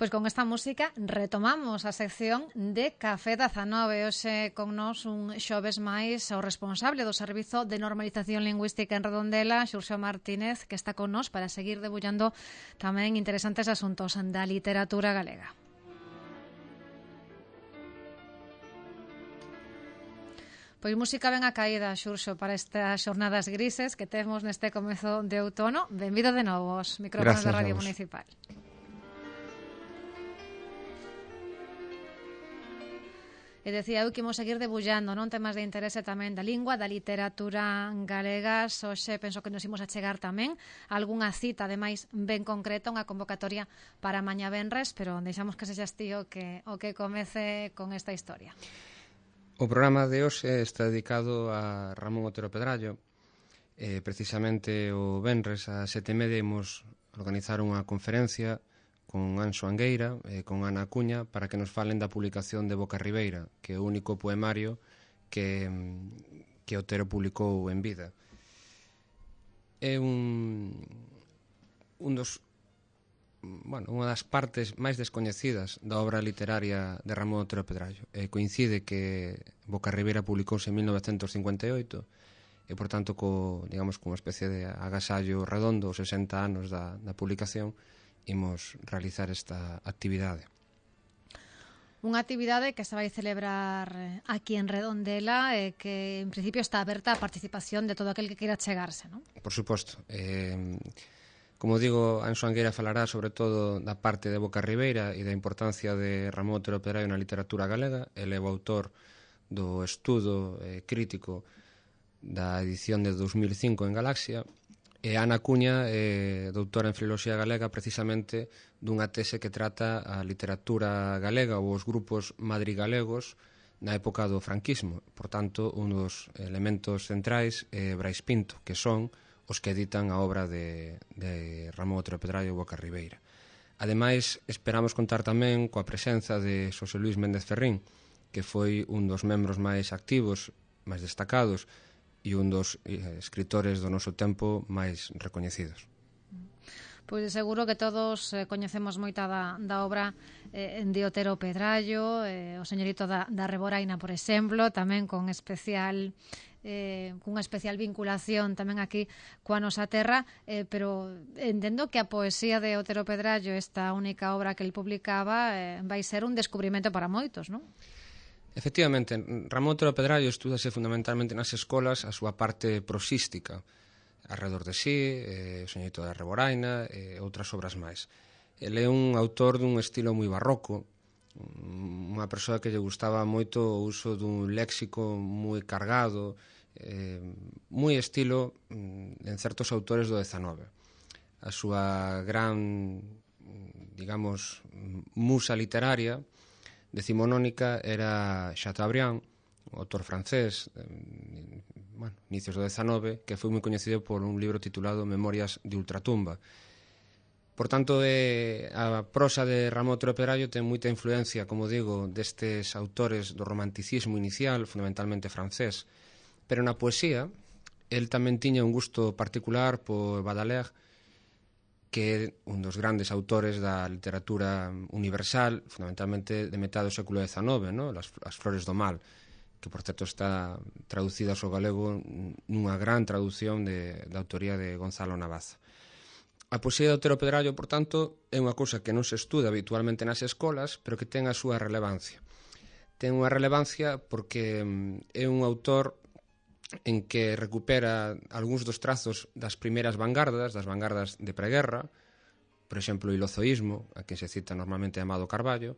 Pois con esta música retomamos a sección de Café 19. Hoxe con nós un xoves máis o responsable do Servizo de Normalización Lingüística en Redondela, Xurxo Martínez, que está con nós para seguir debullando tamén interesantes asuntos da literatura galega. Pois música ben a caída, Xurxo, para estas xornadas grises que temos neste comezo de outono. Benvido de novo aos micrófonos da Radio Municipal. E decía eu que imos seguir debullando, non, temas de interese tamén da lingua, da literatura galegas. Hoxe penso que nos imos achegar tamén algunha cita, ademais, ben concreta, unha convocatoria para mañá venres, pero deixamos que sexas ti o que comece con esta historia. O programa de hoxe está dedicado a Ramón Otero Pedrallo. Precisamente o venres a 7:30 imos organizar unha conferencia con Anxo Angueira e con Ana Acuña para que nos falen da publicación de Boca Ribeira, que é o único poemario que Otero publicou en vida. É unha das partes máis descoñecidas da obra literaria de Ramón Otero Pedrallo. Coincide que Boca Ribeira publicouse en 1958 e, por tanto, cunha especie de agasallo redondo, os 60 anos da publicación, imos realizar esta actividade. Unha actividade que se vai celebrar aquí en Redondela e que, en principio, está aberta a participación de todo aquel que queira chegarse, non? Por suposto. Como digo, Anxo Angueira falará sobre todo da parte de Boca Ribeira e da importancia de Ramón Otero Pedrallo na literatura galega. Ele é o autor do estudo crítico da edición de 2005 en Galaxia. E Ana Acuña é doutora en Filoloxía Galega precisamente dunha tese que trata a literatura galega ou os grupos madrigalegos na época do franquismo. Por tanto, un dos elementos centrais é Brais Pinto, que son os que editan a obra de Ramón Otero Pedrallo e Boca Ribeira. Ademais, esperamos contar tamén coa presenza de Xosé Luís Méndez Ferrín, que foi un dos membros máis activos, máis destacados, e un dos escritores do noso tempo máis recoñecidos. Pois seguro que todos coñecemos moita da obra de Otero Pedrallo, o señorito da Reboraina, por exemplo, tamén cunha especial vinculación tamén aquí coa nosa terra, pero entendo que a poesía de Otero Pedrallo, esta única obra que el publicaba, vai ser un descubrimento para moitos, non? Efectivamente, Ramón Otero Pedrallo estúdase fundamentalmente nas escolas a súa parte prosística, Arredor de sí, o Señorito da Reboraina e outras obras máis. Ele é un autor dun estilo moi barroco, unha persoa que lle gustaba moito o uso dun léxico moi cargado, moi estilo en certos autores do XIX. A súa gran, digamos, musa literaria decimonónica era Chateaubriand, o autor francés, inicios do XIX, que foi moi coñecido por un libro titulado Memorias de Ultratumba. Por tanto, a prosa de Ramón Otero Pedrallo ten moita influencia, como digo, destes autores do romanticismo inicial, fundamentalmente francés, pero na poesía, el tamén tiña un gusto particular por Baudelaire, que é un dos grandes autores da literatura universal, fundamentalmente de metade do século XIX, no? As Flores do Mal, que, por certo, está traducida ao galego nunha gran traducción da autoría de Gonzalo Navaza. A poesía de Otero Pedrallo, por tanto, é unha cousa que non se estuda habitualmente nas escolas, pero que ten a súa relevancia. Ten unha relevancia porque é un autor en que recupera algúns dos trazos das primeiras vanguardas, das vanguardas de preguerra, por exemplo, o ilozoísmo, a que se cita normalmente Amado Carballo,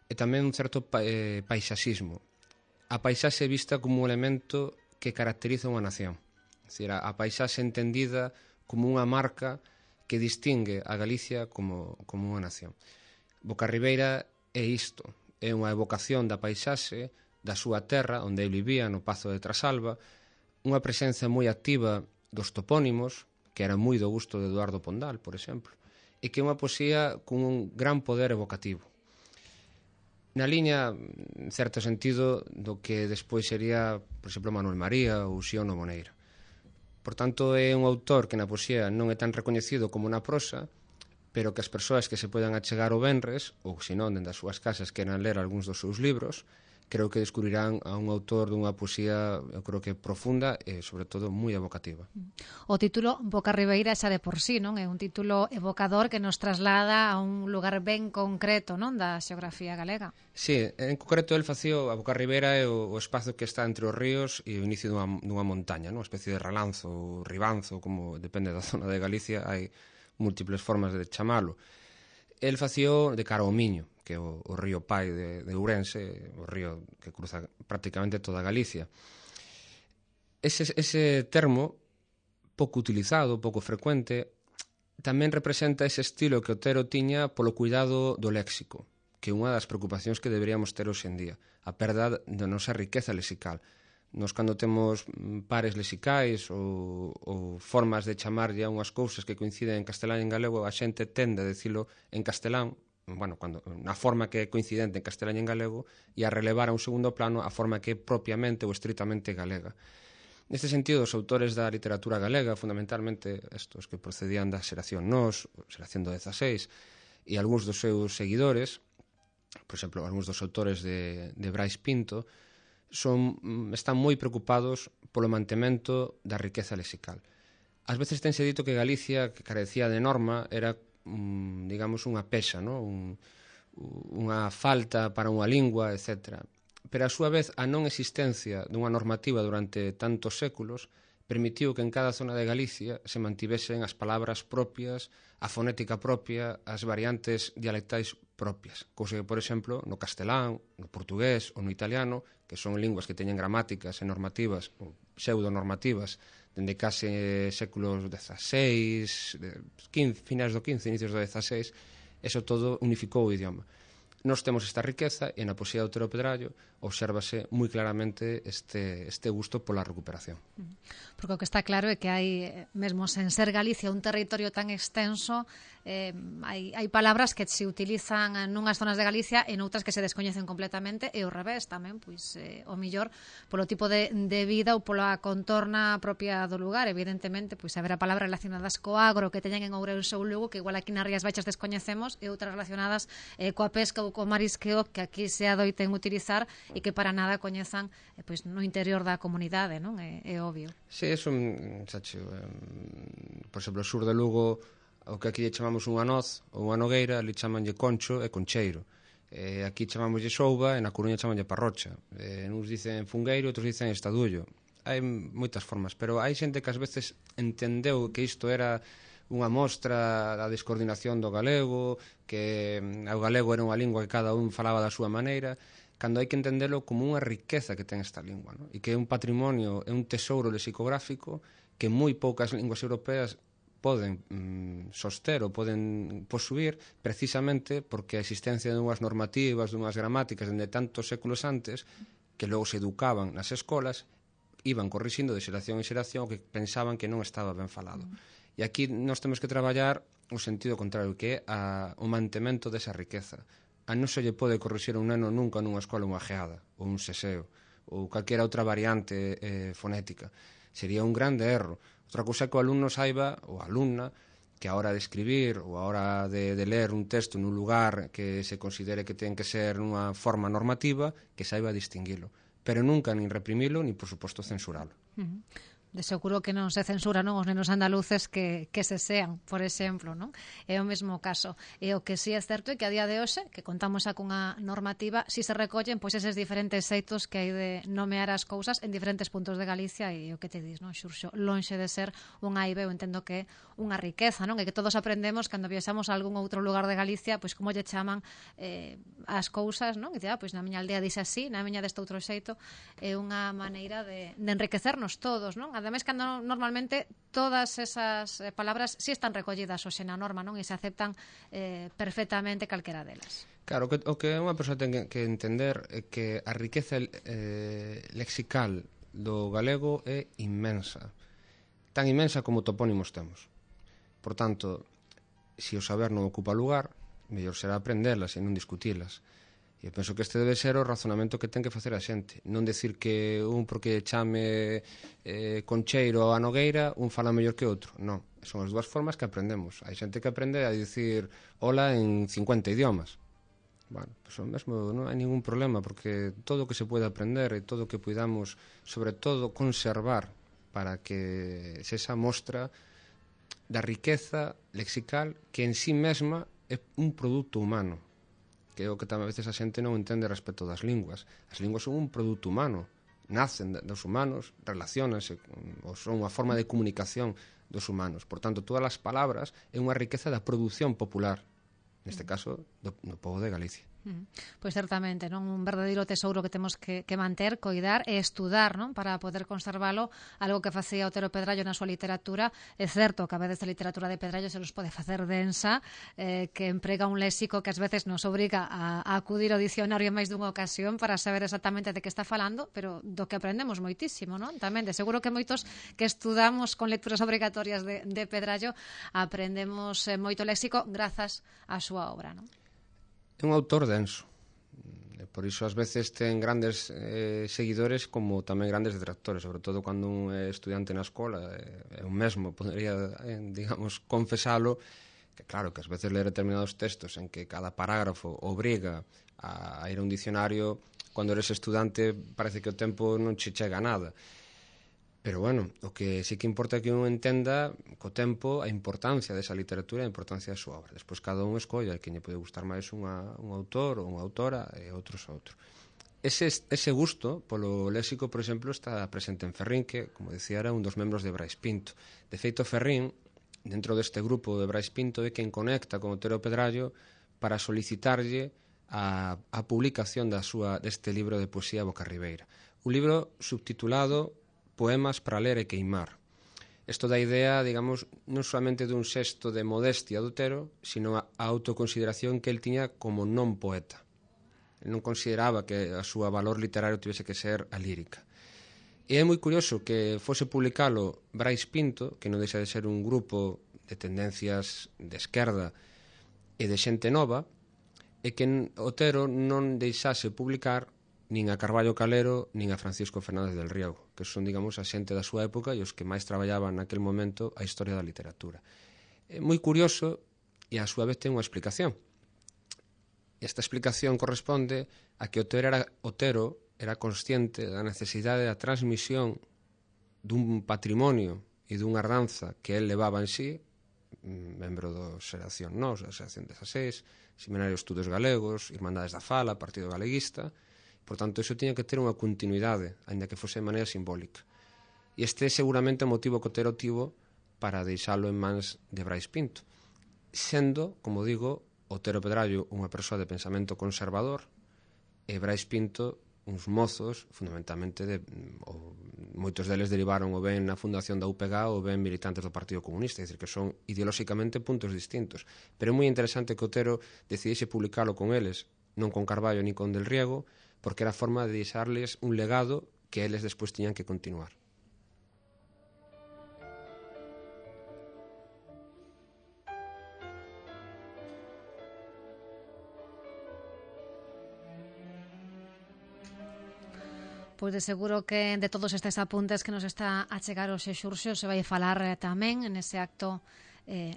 e tamén un certo paisaxismo. A paisaxe vista como un elemento que caracteriza unha nación. É dicir, a paisaxe entendida como unha marca que distingue a Galicia como unha nación. Boca Ribeira é isto, é unha evocación da paisaxe, da súa terra, onde ele vivía, no Pazo de Trasalba, unha presenza moi activa dos topónimos, que era moi do gusto de Eduardo Pondal, por exemplo, e que é unha poesía con un gran poder evocativo. Na liña, en certo sentido, do que despois sería, por exemplo, Manuel María ou Xiono Moneira. Por tanto, é un autor que na poesía non é tan recoñecido como na prosa, pero que as persoas que se podan achegar o venres, ou se non, dende as súas casas, queran ler algúns dos seus libros, creo que descubrirán a un autor dunha poesía, eu creo que profunda e, sobre todo, moi evocativa. O título Boca Ribeira xa de por sí, non? É un título evocador que nos traslada a un lugar ben concreto, non, da xeografía galega. Sí, en concreto el facía a Boca Ribeira é o espazo que está entre os ríos e o inicio dunha montaña, non? Unha especie de ralanzo ou ribanzo, como depende da zona de Galicia, hai múltiples formas de chamalo. El facía de cara ao Miño, que é o río pai de Ourense, o río que cruza prácticamente toda Galicia. Ese termo, pouco utilizado, pouco frecuente, tamén representa ese estilo que Otero tiña polo cuidado do léxico, que é unha das preocupacións que deberíamos ter hoxe en día, a perda da nosa riqueza lexical. Nos, cando temos pares lexicais ou formas de chamarlle a unhas cousas que coinciden en castelán e en galego, a xente tende a dicilo en castelán, na forma que é coincidente en castelán e en galego, e a relevar a un segundo plano a forma que é propiamente ou estritamente galega. Neste sentido, os autores da literatura galega, fundamentalmente estos que procedían da xeración Nós, xeración do 16, e algúns dos seus seguidores, por exemplo, algúns dos autores de Brais Pinto, están moi preocupados polo mantemento da riqueza lexical. Ás veces tense dito que Galicia, que carecía de norma, era, digamos, unha pexa, non? Unha falta para unha lingua, etc. Pero, a súa vez, a non existencia dunha normativa durante tantos séculos permitiu que en cada zona de Galicia se mantivesen as palabras propias, a fonética propia, as variantes dialectais propias. Cousa que, por exemplo, no castelán, no portugués ou no italiano, que son linguas que teñen gramáticas e normativas, ou pseudonormativas, dende case séculos XVI, finais do XV, inicios do XVI, eso todo unificou o idioma. Nós temos esta riqueza e na poesía de Otero Pedrallo obsérvase moi claramente este gusto pola recuperación. Porque o que está claro é que hai, mesmo sen ser Galicia un territorio tan extenso, hai palabras que se utilizan nunhas zonas de Galicia e noutras que se descoñecen completamente, e ao revés tamén, pois o millor polo tipo de vida ou pola contorna propia do lugar. Evidentemente, pois haberá palabras relacionadas co agro que teñen en Ourense ou Lugo que igual aquí nas Rías Baixas descoñecemos, e outras relacionadas coa pesca ou co marisqueo que aquí se adoiten utilizar e que para nada coñezan pois no interior da comunidade, non? É obvio. Sí, eso, por exemplo, o sur de Lugo, o que aquí chamamos unha noz ou unha nogueira, ali chamanlle concho e concheiro. Aquí chamámoslle souba e na Coruña chamanlle parrocha. Uns dicen fungueiro, outros dicen estadullo. Hai moitas formas, pero hai xente que ás veces entendeu que isto era unha mostra da descoordinación do galego, que o galego era unha lingua que cada un falaba da súa maneira, cando hai que entendelo como unha riqueza que ten esta lingua, non? E que é un patrimonio, é un tesouro lexicográfico que moi poucas linguas europeas poden soster ou poden posuir, precisamente porque a existencia de unhas normativas, dunhas gramáticas dende tantos séculos antes, que logo se educaban nas escolas, iban corrixindo de xeración en xeración o que pensaban que non estaba ben falado. E aquí nós temos que traballar o sentido contrario, que é o mantemento desa riqueza. A non se lle pode corrixir un neno nunca nunha escola unha geada, ou un seseo, ou calquera outra variante fonética. Sería un grande erro. Outra cousa é que o alumno saiba, ou a alumna, que a hora de escribir ou a hora de ler un texto nun lugar que se considere que ten que ser nunha forma normativa, que saiba distinguilo. Pero nunca nin reprimilo, nin, por suposto, censuralo. De seguro que non se censura, non, os nenos andaluces que se sean, por exemplo, non? É o mesmo caso. E o que sí é certo é que a día de hoxe, que contamos xa cunha normativa, si se recollen pois eses diferentes xeitos que hai de nomear as cousas en diferentes puntos de Galicia, e o que te dis, non, Xurxo, lonxe de ser unha aibe, eu entendo que é unha riqueza, non? E que todos aprendemos cando viaxamos a algún outro lugar de Galicia, pois como lle chaman as cousas, non? E pois na miña aldea dixe así, na miña deste outro xeito, é unha maneira de enriquecernos todos, non? Ademais, cando normalmente todas esas palabras si están recollidas hoxe na norma, non? E se aceptan perfectamente calquera delas. Claro, o que unha persoa ten que entender é que a riqueza lexical do galego é inmensa. Tan inmensa como topónimos temos. Por tanto, se o saber non ocupa lugar, mellor será aprendelas e non discutilas. E eu penso que este debe ser o razonamento que ten que facer a xente. Non decir que un porque chame Concheiro a Nogueira, un fala mellor que outro. Non, son as dúas formas que aprendemos. Hai xente que aprende a dicir hola en 50 idiomas. Bueno, pues o mesmo non hai ningún problema, porque todo o que se pode aprender e todo o que podamos, sobre todo, conservar para que se esa mostra da riqueza lexical que en sí mesma é un produto humano, que é o que tamén a veces a xente non entende respecto das linguas. As linguas son un produto humano, nacen dos humanos, relacionanse, ou son unha forma de comunicación dos humanos. Por tanto, todas as palabras é unha riqueza da produción popular, neste caso, no pobo de Galicia. Pois certamente, non, un verdadeiro tesouro que temos que manter, coidar e estudar, non, para poder conservalo, algo que facía Otero Pedrallo na súa literatura. É certo que a veces a literatura de Pedrallo se nos pode facer densa, que emprega un léxico que ás veces nos obriga a acudir ao dicionario en máis dunha ocasión para saber exactamente de que está falando, pero do que aprendemos moitísimo, non? Tamén, de seguro que moitos que estudamos con lecturas obrigatorias de Pedrallo aprendemos moito léxico grazas á súa obra, non? É un autor denso, por iso ás veces ten grandes seguidores como tamén grandes detractores, sobre todo cando un é estudiante na escola. Eu mesmo podría, digamos, confesalo, que claro, que ás veces ler determinados textos en que cada parágrafo obriga a ir a un dicionario, cando eres estudante parece que o tempo non che chega a nada. Pero bueno, o que sí que importa é que un entenda co tempo a importancia desa literatura e a importancia da súa obra. Despois cada un escolla que lle pode gustar máis un autor ou unha autora e outros a outro. Ese gusto polo léxico, por exemplo, está presente en Ferrín, que, como decía, era un dos membros de Brais Pinto. De feito, Ferrín, dentro deste grupo de Brais Pinto, é quen conecta con Otero Pedrallo para solicitarlle a publicación deste libro de poesía Bocarribeira. Un libro subtitulado Poemas para ler e queimar. Isto dá idea, digamos, non solamente dun xesto de modestia do Otero, sino a autoconsideración que el tiña como non poeta. El non consideraba que a súa valor literario tivese que ser a lírica. E é moi curioso que fose publicalo Brais Pinto, que non deixa de ser un grupo de tendencias de esquerda e de xente nova, e que Otero non deixase publicar nin a Carballo Calero nin a Francisco Fernández del Riego, que son, digamos, a xente da súa época e os que máis traballaban naquel momento a historia da literatura. É moi curioso e a súa vez ten unha explicación. Esta explicación corresponde a que Otero era consciente da necesidade da transmisión dun patrimonio e dunha herdanza que el levaba en sí, membro da Xeración Nós, da Xeración 16, Seminario de Estudos Galegos, Irmandades da Fala, Partido Galeguista. Por tanto, iso tiña que ter unha continuidade, aínda que fose de maneira simbólica. E este é seguramente o motivo que Otero tivo para deixalo en mans de Brais Pinto. Sendo, como digo, Otero Pedrallo unha persoa de pensamento conservador e Brais Pinto uns mozos, fundamentalmente, moitos deles derivaron ou ben na fundación da UPG ou ben militantes do Partido Comunista, é dicir, que son ideolóxicamente puntos distintos. Pero é moi interesante que Otero decidise publicalo con eles, non con Carballo ni con Del Riego, porque era a forma de deixarles un legado que eles despois tiñan que continuar. Pois de seguro que de todos estes apuntes que nos está a chegar o Xurxo se vai falar tamén nese acto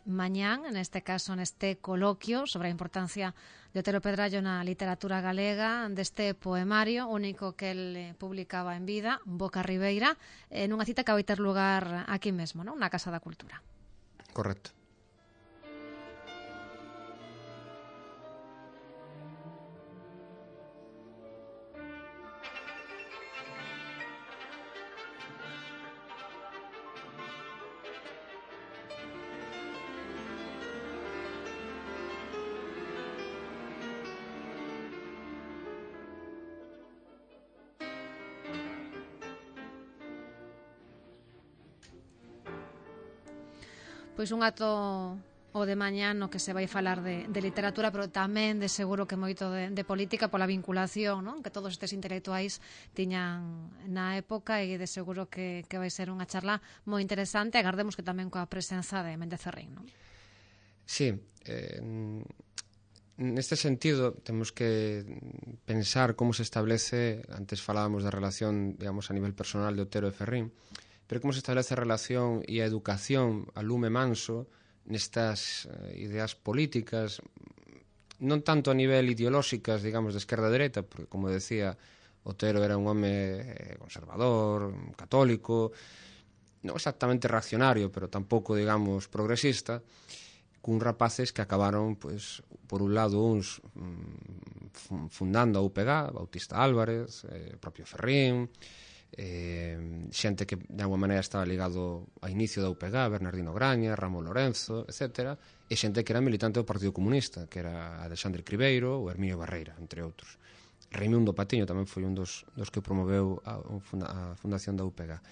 mañán, neste caso neste coloquio sobre a importancia de Otero Pedrallo na literatura galega, deste poemario único que el publicaba en vida, Bocarribeira, nunha cita que vai ter lugar aquí mesmo, non? Na Casa da Cultura. Correcto. Pois un acto o de mañán no que se vai falar de literatura, pero tamén de seguro que moito de política pola vinculación, non? Que todos estes intelectuais tiñan na época e de seguro que vai ser unha charla moi interesante. Agardemos que tamén coa presenza de Méndez Ferrín, non? Sí, neste sentido, temos que pensar como se establece, antes falábamos da relación, digamos, a nivel personal de Otero e Ferrín, pero como se establece a relación e a educación a lume manso nestas ideas políticas, non tanto a nivel ideolóxicas, digamos, de esquerda a dereita, porque, como decía, Otero era un home conservador, católico, non exactamente reaccionario, pero tampouco, digamos, progresista, cun rapaces que acabaron, pois, por un lado, uns fundando a UPG, Bautista Álvarez, propio Ferrín, xente que de alguma maneira estaba ligado ao inicio da UPG, Bernardino Graña, Ramón Lorenzo, etc., e xente que era militante do Partido Comunista, que era Alexandre Cribeiro ou Herminio Barreira, entre outros. Raimundo Patiño tamén foi un dos que promoveu a fundación da UPG.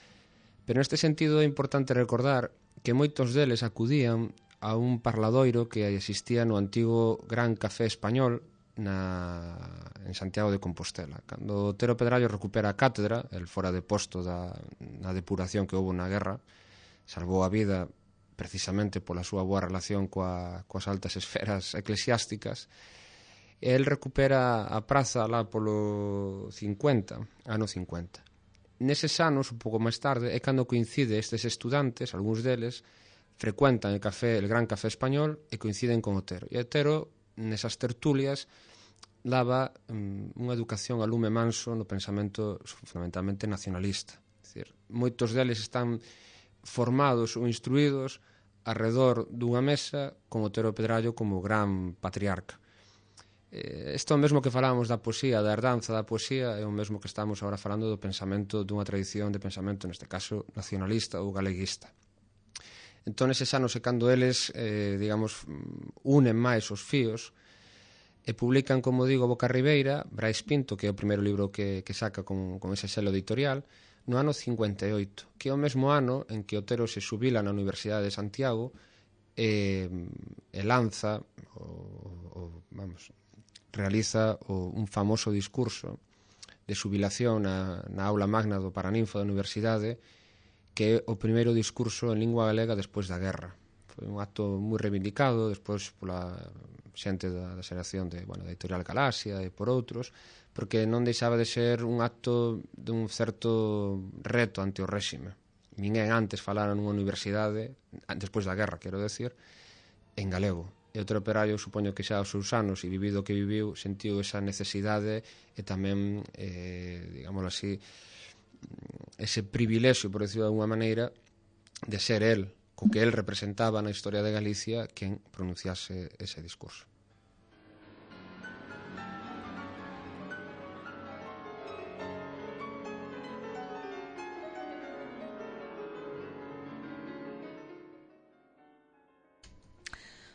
Pero neste sentido é importante recordar que moitos deles acudían a un parladoiro que existía no antigo Gran Café Español en Santiago de Compostela. Cando Otero Pedrallo recupera a cátedra, el fora de posto na depuración que houve na guerra, salvou a vida precisamente pola súa boa relación coas altas esferas eclesiásticas, el recupera a praza lá polo 50, ano 50. Neses anos, un pouco máis tarde, é cando coincide estes estudantes, algúns deles, frecuentan el Gran Café Español e coinciden con Otero. E Otero, nesas tertulias, daba unha educación a lume manso no pensamento fundamentalmente nacionalista. É dicir, moitos deles están formados ou instruídos arredor dunha mesa con Otero Pedrallo como gran patriarca. Isto é o mesmo que falábamos da poesía, da herdanza da poesía, é o mesmo que estamos agora falando do pensamento dunha tradición de pensamento, neste caso, nacionalista ou galeguista. Entón, eses anos é cando eles, digamos, unen máis os fíos e publican, como digo, Boca Ribeira, Brais Pinto, que é o primeiro libro que saca con ese selo editorial, no ano 58, que é o mesmo ano en que Otero se xubila na Universidade de Santiago e lanza, realiza un famoso discurso de xubilación na aula magna do Paraninfo da Universidade, que é o primeiro discurso en lingua galega despois da guerra. Foi un acto moi reivindicado despois pola xente da xeración da editorial Galaxia e por outros, porque non deixaba de ser un acto dun certo reto ante o réxime. Ninguén antes falara nunha universidade, despois da guerra, quero decir, en galego. E Otero Pedrallo, supoño que xa aos seus anos e vivido o que viviu, sentiu esa necesidade e tamén, digámoslo así, ese privilexio, por decirlo de alguma maneira, de ser el, co que el representaba na historia de Galicia, quen pronunciase ese discurso.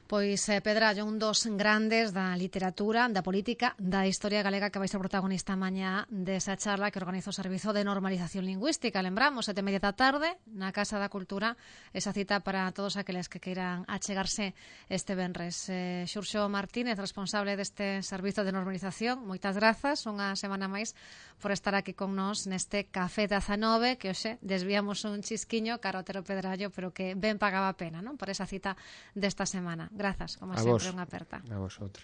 Pois Pedrallo, un dos grandes da literatura, da política, da historia galega, que vai ser protagonista mañá desa charla que organiza o Servizo de Normalización Lingüística. Lembramos, 7:30 da tarde, na Casa da Cultura, esa cita para todos aqueles que queiran achegarse este venres. Xurxo Martínez, responsable deste Servizo de Normalización, moitas grazas, unha semana máis, por estar aquí con nós neste Café 19, que hoxe desviamos un chisquiño cara ao Otero Pedrallo, pero que ben pagaba a pena, non? Por esa cita desta semana. Grazas, como sempre, unha aperta. A vosotros.